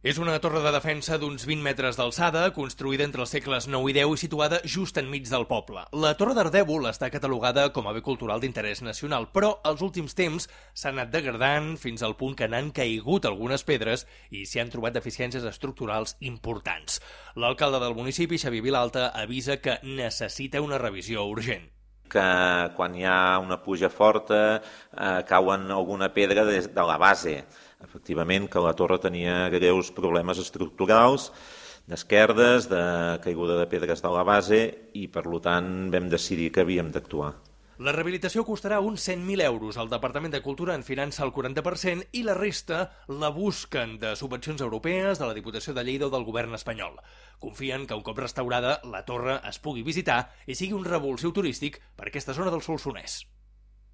És una torre de defensa d'uns 20 metres d'alçada, construïda entre els segles IX i X i situada just enmig del poble. La Torre d'Ardèvol està catalogada com a bé cultural d'interès nacional, però als últims temps s'ha anat degradant fins al punt que n'han caigut algunes pedres i s'hi han trobat deficiències estructurals importants. L'alcalde del municipi, Xavier Vilalta, avisa que necessita una revisió urgent. Que quan hi ha una pluja forta cauen alguna pedra de la base. Efectivament, que la torre tenia greus problemes estructurals, d'esquerdes, de caiguda de pedres de la base i, per tant, vam decidir que havíem d'actuar. La rehabilitació costarà uns 100.000 euros. El Departament de Cultura en finança el 40% i la resta la busquen de subvencions europees, de la Diputació de Lleida o del govern espanyol. Confien que un cop restaurada la torre es pugui visitar i sigui un revulsiu turístic per aquesta zona del Solsonès.